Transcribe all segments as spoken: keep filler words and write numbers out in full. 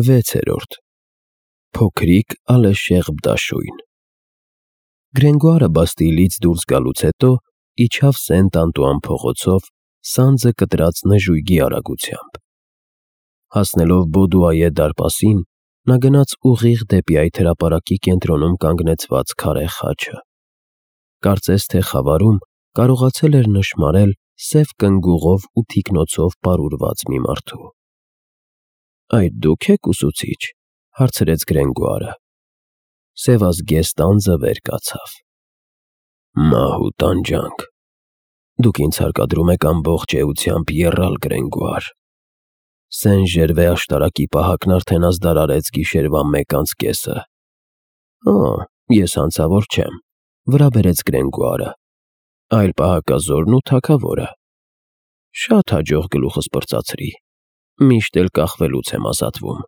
վեցերորդ Փոքրիկ ալեշեղբ դաշույն Գրենգոարը Բաստիլից դուրս գալուց հետո իջավ Սենտ-Անտուան փողոցով սանձը կտրած նժույգի արագությամբ։ Հասնելով Բոդուայե դարպասին, նա գնաց ուղիղ դեպի այդ հրապարակի կենտրոնում կանգնեցված քարե խաչը։ Կարծես թե խավարում կարողացել էր նշմարել սև կնգուղով ու թիկնոցով պարուրված մի մարդու։ «Այդ դու՞ք եք, ուսուցիչ», հարցրեց Գրենգոարը։ Սևազգեստ անձը վեր կացավ։ «Մահ ու տանջանք։ Դուք ինձ հարկադրում եք ամբողջ էությամբ եռալ, Գրենգոար։ Սեն֊Ժերվե աշտարակի պահակն արդեն ազդարարեց գիշերվա մեկ անց կեսը»։ «Օ, ես հանցավոր չեմ», վրա բերեց Գրենգոարը, «այլ պահակազորն ու թագավորը»։ «Շատ հաջող գլուխս պրծացրի, միշտ էլ կախվելուց եմ ազատվում։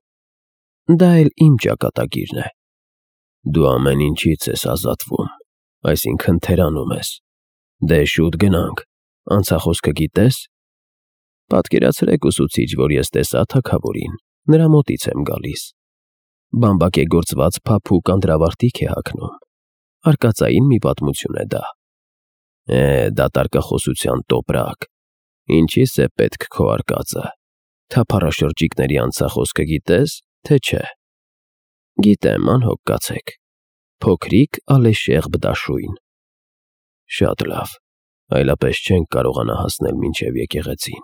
Դա էլ իմ ճակատագիրն է»։ «Դու ամեն ինչից ես ազատվում, այսինքն թերանում ես։ Դե շուտ գնանք, անցախոսքը գիտե՞ս»։ «Պատկերացրեք, ուսուցիչ, որ ես տեսա թագավորին, նրա մոտից եմ գալիս։ Բամբակեգործված փափուկ անդրավարտիք է հագնում։ Արկածային մի պատմություն է դա»։ «Է, դատարկախոսության տոպրակ, ինչի՞ս է պետք քո արկածը։ Թափառաշրջիկների անցախոսքը գիտե՞ս, թե չէ»։ «Գիտեմ, անհոգ կացեք։ Փոքրիկ ալեշեղբ դաշույն»։ «Շատ լավ, այլապես չենք կարողանա հասնել մինչև եկեղեցին։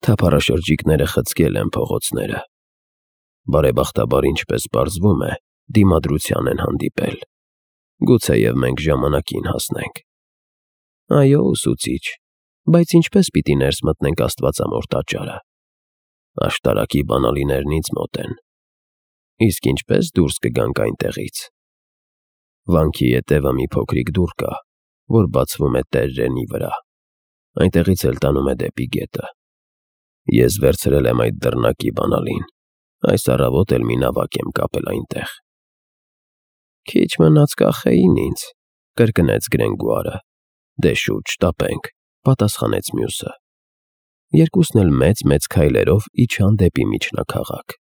Թափառաշրջիկները խցկել են փողոցները։ Բարեբախտաբար, ինչպես պարզվում է, դիմադրության են հանդիպել։ Գուցեև մենք ժամանակին հասնենք»։ «Այո, ուսուցիչ, բայց ինչպես պիտի ներս մտնենք Աստվածամոր տաճարը»։ «Աշտարակի բանալիներն ինձ մոտ են»։ «Իսկ ինչպե՞ս դուրս կգանք այնտեղից»։ «Վանքի ետևը մի փոքրիկ դուռ կա, որ բացվում է տերրենի վրա, այնտեղից էլ տանում է դեպի գետը։ Ես վերցրել եմ այդ դռնակի բանալին, այս առավոտ էլ մի նավակ եմ կապել այնտեղ»։ «Քիչ մնաց կախեին ինձ», կրկնեց Գրենգոարը։ «Դե շուտ շտապենք», պատասխանեց մյուսը։ Երկուսն էլ մեծ-մեծ քայլերով իջան դեպի միջնաքաղաք։